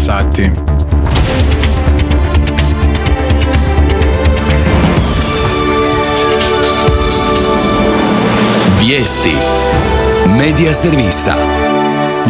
sati. Vijesti Medija servisa.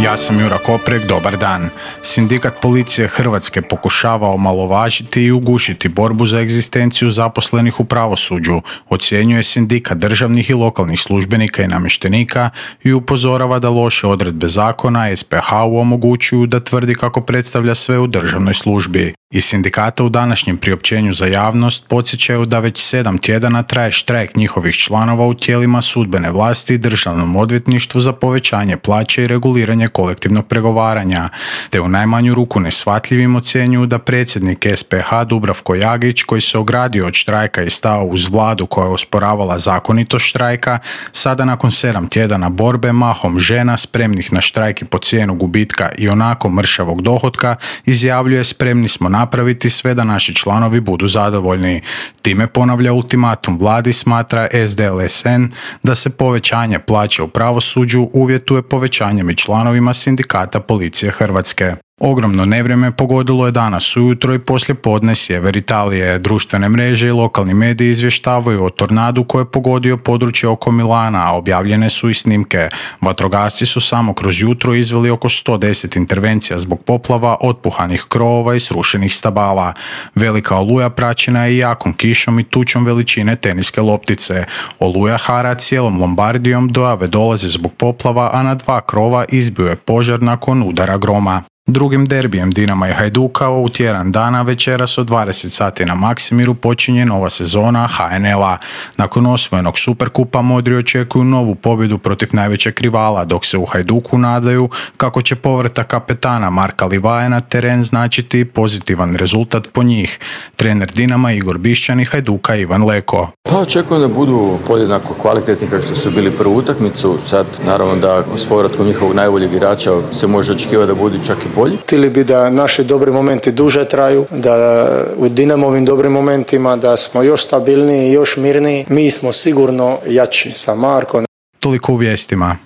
Ja sam Jura Koprek, dobar dan. Sindikat policije Hrvatske pokušava omalovažiti i ugušiti borbu za egzistenciju zaposlenih u pravosuđu, ocjenjuje sindikat državnih i lokalnih službenika i namještenika i upozorava da loše odredbe zakona SPH-u omogućuju da tvrdi kako predstavlja sve u državnoj službi. Iz sindikata u današnjem priopćenju za javnost podsjećaju da već 7 tjedana traje štrajk njihovih članova u tijelima sudbene vlasti i državnom odvjetništvu za povećanje plaće i reguliranje kolektivnog pregovaranja, te u najmanju ruku neshvatljivim ocjenjuju da predsjednik SPH Dubravko Jagić, koji se ogradio od štrajka i stao uz vladu koja je osporavala zakonitost štrajka, sada nakon 7 tjedana borbe mahom žena spremnih na štrajk i po cijenu gubitka i onako mršavog dohotka izjavljuje: spremni smo napraviti sve da naši članovi budu zadovoljni. Time ponavlja ultimatum vladi, smatra SDLSN da se povećanje plaće u pravosuđu uvjetuje povećanjem i članovima sindikata policije Hrvatske. Ogromno nevrijeme pogodilo je danas ujutro i poslijepodne sjever Italije. Društvene mreže i lokalni mediji izvještavaju o tornadu koji je pogodio područje oko Milana, a objavljene su i snimke. Vatrogasci su samo kroz jutro izveli oko 110 intervencija zbog poplava, otpuhanih krovova i srušenih stabala. Velika oluja praćena je jakom kišom i tučom veličine teniske loptice. Oluja hara cijelom Lombardijom, dojave dolaze zbog poplava, a na 2 krova izbio je požar nakon udara groma. Drugim derbijem Dinama i Hajduka u tjedan dana večeras od 20 sati na Maksimiru počinje nova sezona HNL-a. Nakon osvojenog Superkupa modri očekuju novu pobjedu protiv najvećeg rivala, dok se u Hajduku nadaju kako će povratak kapetana Marka Livaje na teren značiti pozitivan rezultat po njih. Trener Dinama Igor Bišćan i Hajduka Ivan Leko. Pa očekujem da budu podjednako kvalitetni kao što su bili prvu utakmicu. Sad naravno da s povratkom njihovog najboljeg igrača se može očekivati da budu čak i bolji. Htjeli bi da naši dobri momenti duže traju, da u Dinamovim dobrim momentima da smo još stabilniji, još mirniji. Mi smo sigurno jači sa Markom. Toliko u vijestima.